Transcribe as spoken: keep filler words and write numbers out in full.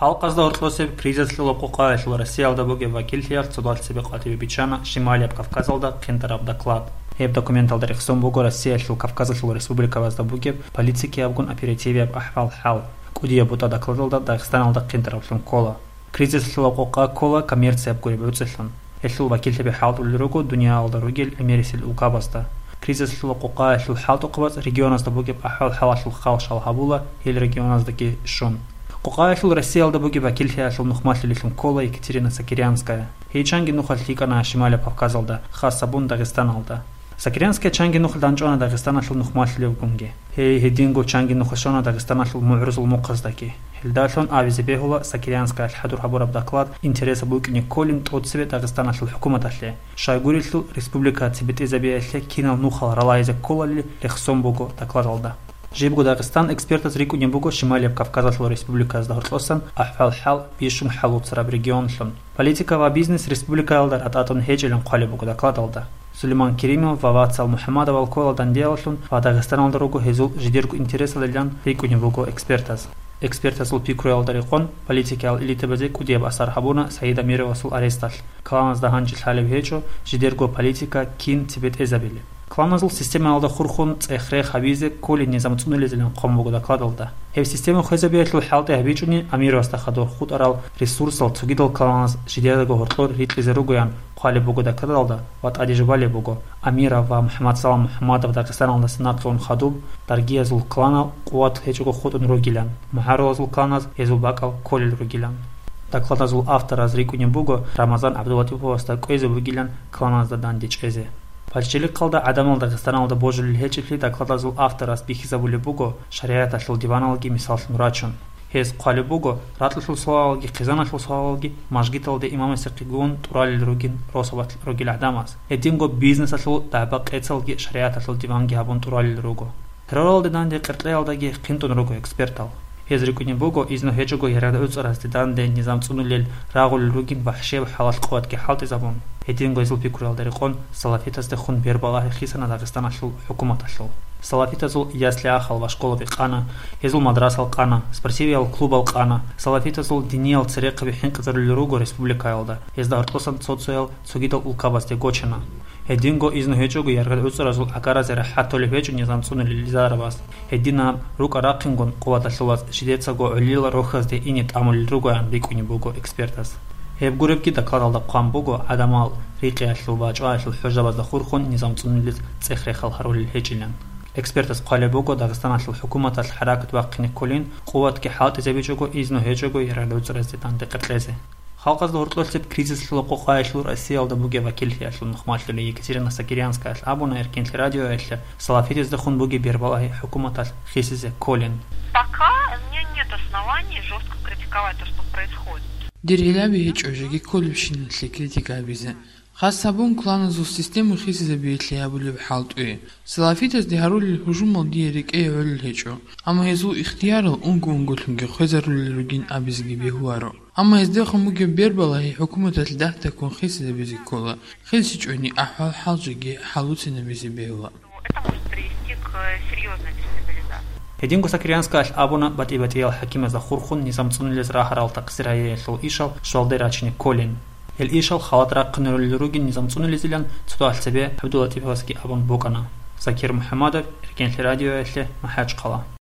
Халкъазда гьоркьосеб кризисалъул къокъаялъул Россиялда бугеб вакиллъиялъ цодал цебе къватӀибе биччана Шималияб Кавказалда хъинтӀараб доклад. Гьеб документалда рехсон буго Россиялъул Кавказалъул республикабазда бугеб политикиябгун оперативияб ахӀвал-хӀал. КӀудияб бутӀа докладалда Дагъистаналда хъинтӀараблъун ккола. Кризисалъул къокъа ккола коммерцияб гуреб гӀуцӀилъун. Гьелъул вакиллъаби хӀалтӀулел руго дуниялалда ругел гӀемерисел улкабазда. Кризисалъул къокъаялъул хӀалтӀухъабаз регионазда бугеб ахӀвал-хӀалалъул хал-шал гьабула гьел регионаздаги щун. Къокъаялъул Россиялда бугеб вакиллъиялъул нухмалъулелъун ккола Екатерина Сокирянская. Гьей чанги нухалъ лъикӀана Шималияб Кавказалда, хасабун Дагъистаналда. Сокирянская чанги нухалъ данчӀвана Дагъистаналъул нухмалъулевгунги. Гьей гьединго чанги нухалъ щвана Дагъистаналъул мугӀрузул мухъаздаги. Гьелдалъун абизе бегьула Сокирянскаялъ хӀадур гьабураб доклад интересаб букӀине кколин тӀоцебе Дагъистаналъул хӀукуматалъе, щайгурелъул республика цебетӀезабиялъе кинал нухал ралагьизе кколали рехсон буго докладалда. Жибго Дагъистан экспертаз рикӀкӀунеб буго Шималияб Кавказалъул республиказда гьоркьосан ахӀвал-хӀал бищун хӀалуцараб регионлъун. Политика ва бизнес республикаялда ратӀатӀун гьечӀилан хъвалеб буго докладалда. Сулейман Керимов ва Вацал МухӀаммадовал ккола дандиялъун ва Дагъистаналда руго гьезул жидерго интересалилан рикӀкӀунеб буго экспертаз. Экспертазул пикруялда рекъон, политикиял элитабазе кӀудияб асар гьабуна Саид Амировасул аресталъ. Кланазда гьанже лъалеб гьечӀо жидерго политика кин цебетӀезабилеб. Кланазул системаялда хурхун цӀех-рех гьабизе кколин низам цӀунулезилан хъван буго докладалда. Гьеб система хвезабиялъул хӀалтӀи гьабичӀони Амировасда хадур хутӀарал ресурсал цогидал кланаз жидедаго гьоркьор рикьизе ругоян хъвалеб буго докладалда ва тӀаде жубалеб буго, Амиров ва МухӀаммадсалам МухӀаммадов Дагъистаналдаса нахъе ун хадуб, даргиязул кланал къуват гьечӀого хутӀун ругилан, мугӀарулазул кланаз гьезул бакӀал кколел ругилан. Докладазул автораз рикӀкӀунеб буго Рамазан ГӀабдулатиповасда кӀвезе бугилан кланазда данде чӀезе. Пачелихъалда гӀадамал Дагъистаналда божулел гьечӀеблъи докладазул авторас бихьизабулеб буго шаригӀаталъул диваналги мисаллъун рачун. Гьез хъвалеб буго, ракьалъул суалалги хъизаналъул суалалги мажгиталде имамасехъе гун тӀуралел ругин росабалъ ругел гӀадамаз. Гьединго бизнесалъул дагӀба-къецалги шаригӀаталъул диванги гьабун тӀуралел руго. Терроралде данде къеркьеялдаги хъинтӀун руго экспертал. Гьез рикӀкӀунеб буго, изну гьечӀого ярагӀ-гӀуцӀаразде данде низам цӀунулел рагъулел ругин вахӀшияб хӀалалъ къуватги хӀалтӀизабун. Гьединго гьезул пикруялда рекъон салафитаздехун бербалагьи хисана Дагъистаналъул хӀукуматалъул. Салафитазул ясли-ахал ва школаби къана, гьезул мадрасал къана, спортивиял клубал къана, салафитазул диниял церехъаби хӀинкъизарулел руго республикаялда, гьезда гьоркьосан цо-цоял цогидал улкабазде гочана. Гьединго изну гьечӀого ярагӀ-гӀуцӀаразул гӀагаразе рахӀат толеб гьечӀо низам цӀунулел лизарабаз. Гьединаб рукӀа-рахъингун къуваталъулаз жидецаго гӀолила рохьазде ине тӀамулел ругоян рикӀкӀунеб буго экспертаз. Гьеб гуребги докладалда хъван буго, гӀадамал рикъиялъул ва чӀваялъул хӀужабазда хурхун низам цӀунулез цӀех-рехал гьарулел гьечӀилан. Экспертаз хъвалеб буго, Дагъистаналъул хӀукуматалъ хӀаракат бахъине кколин, къуватги хӀалтӀизабичӀого, изну гьечӀого ярагӀ-гӀуцӀаразде данде къеркьезе. Халкъазда гьоркьоса кризисалъул къокъаялъул Россиялда бугеб вакиллъиялъул нухмалъулей Екатерина Сокирянскаялъ абуна Эркенлъи радиоялъе салафитаздехун бугеб бербалагьи хӀукуматалъ хисизе кколин. Пока у меня нет оснований жёстко критиковать то, что происходит. Дир гӀилаби гьечӀо жеги кколебщиналъе критика гьабизе. Хас гьабун, кланазул система хисизабиялъе гьабулеб хӀалтӀуе. Салафитазде гьарулел гьужумал дие рекӀее гӀолел гьечӀо, амма гьезул ихтиярал унго-унголъунги хвезарулел ругин абизеги бегьуларо. Амма гьездехун бугеб бербалагьи хӀукуматалъ дагь-дагьккун хисизабизе ккола, хисичӀони ахӀвал-хӀал жеги хӀалуцинабизе бегьула. Это может привести к серьёзной дестабилизации. Гьединго Сокирянскаялъ абуна, батӀи-батӀиял хӀакимазда хурхун низам цӀунулез рагьарал такъсир гьариялъул ишал щвалде рачине кколин. Гьел ишал халат рахъинарулел ругин низам цӀунулезилан цодагьал цебе ГӀабдуллатиповасги абун букӀана. Закир МухӀамадов, Эркенлъи радиоялъе, МахӀачхъала.